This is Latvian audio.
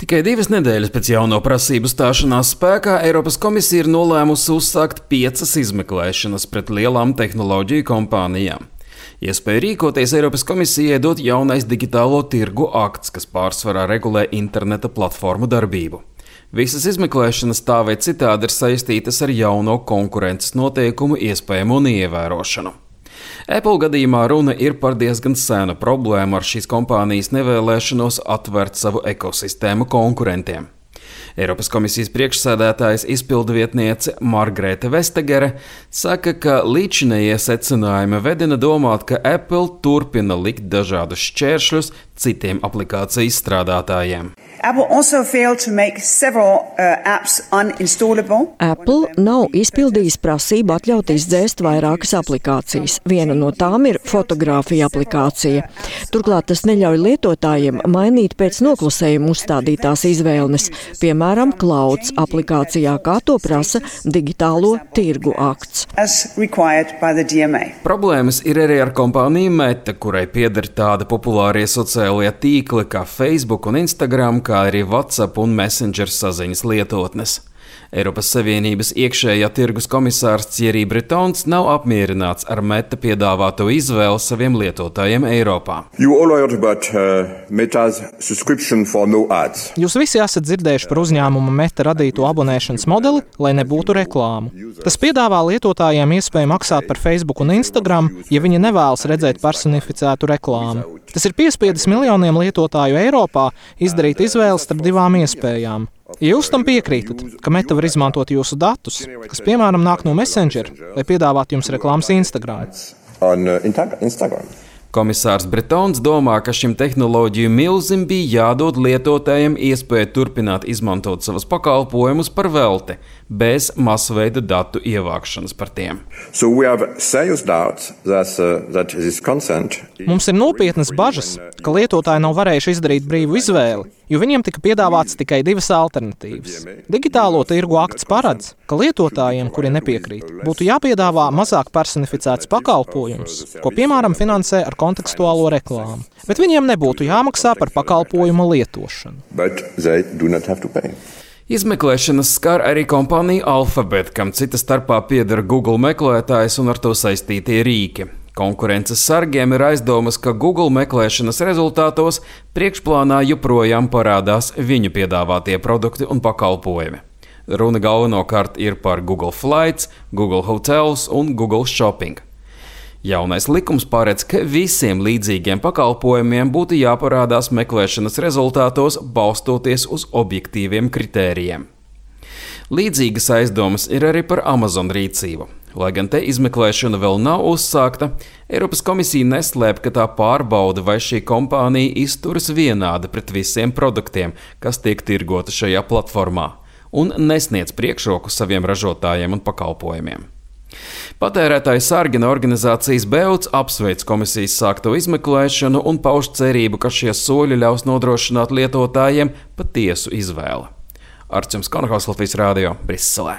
Tikai 2 nedēļas pēc jauno prasību stāšanās spēkā Eiropas komisija ir nolēmusi uzsākt 5 izmeklēšanas pret lielām tehnoloģiju kompānijām. Iespēju rīkoties Eiropas komisijai dot jaunais digitālo tirgu akts, kas pārsvarā regulē interneta platformu darbību. Visas izmeklēšanas tā vai citādi ir saistītas ar jauno konkurences noteikumu iespējamu un ievērošanu. Apple gadījumā runa ir par diezgan senu problēmu ar šīs kompānijas nevēlēšanos atvērt savu ekosistēmu konkurentiem. Eiropas komisijas priekšsēdētājas izpildvietniece Margrēte Vestegere saka, ka līdzinējie secinājumi vedina domāt, ka Apple turpina likt dažādus šķēršļus citiem aplikāciju izstrādātājiem. Apple nav izpildījis prasību atļaut izdzēst vairākas aplikācijas. Viena no tām ir fotogrāfija aplikācija. Turklāt tas neļauj lietotājiem mainīt pēc noklusējuma uzstādītās izvēles, piemēram, Clouds aplikācijā, kā to prasa digitālo tirgu akts. Problēmas ir arī ar kompāniju Meta, kurai pieder tādi populārie sociālie tīkli kā Facebook un Instagram, kā arī WhatsApp un Messenger saziņas lietotnes. Eiropas Savienības iekšējā tirgus komisārs Thierry Bretons nav apmierināts ar Meta piedāvāto izvēli saviem lietotājiem Eiropā. Jūs visi esat dzirdējuši par uzņēmuma Meta radīto abonēšanas modeli, lai nebūtu reklāmu. Tas piedāvā lietotājiem iespēju maksāt par Facebook un Instagram, ja viņi nevēlas redzēt personificētu reklāmu. Tas ir piespiedis miljoniem lietotāju Eiropā izdarīt izvēli starp 2 iespējām. Ja jūs tam piekrītat, ka Meta var izmantot jūsu datus, kas piemēram nāk no Messenger, lai piedāvātu jums reklāmas Instagram. Komisārs Bretons domā, ka šim tehnoloģiju milzim bija jādod lietotājiem iespēju turpināt izmantot savus pakalpojumus par velti, bez masveida datu ievākšanas par tiem. Mums ir nopietnas bažas, ka lietotāji nav varējuši izdarīt brīvu izvēli, jo viņiem tika piedāvāts tikai 2 alternatīvas. Digitālo tirgu akts paredz, ka lietotājiem, kuri nepiekrīt, būtu jāpiedāvā mazāk personificēts pakalpojums, ko piemēram finansē ar kontekstuālo reklāmu. Bet viņiem nebūtu jāmaksā par pakalpojuma lietošanu. Izmeklēšanas skar arī kompāniju Alphabet, kam cita starpā pieder Google meklētājs un ar to saistītie rīki. Konkurences sargiem ir aizdomas, ka Google meklēšanas rezultātos priekšplānā joprojām parādās viņu piedāvātie produkti un pakalpojumi. Runa galvenokārt ir par Google Flights, Google Hotels un Google Shopping. Jaunais likums paredz, ka visiem līdzīgiem pakalpojumiem būtu jāparādās meklēšanas rezultātos, balstoties uz objektīviem kritērijiem. Līdzīgas aizdomas ir arī par Amazon rīcību. Lai gan te izmeklēšana vēl nav uzsākta, Eiropas komisija neslēp, ka tā pārbauda, vai šī kompānija izturas vienādi pret visiem produktiem, kas tiek tirgoti šajā platformā, un nesniedz priekšroku saviem ražotājiem un pakalpojumiem. Patērētāju sargina organizācijas BEUC apsveic komisijas sākto izmeklēšanu un pauž cerību, ka šie soļi ļaus nodrošināt lietotājiem patiesu izvēli. Arčuns Konohaus, Latvijas Rādio, Briselē.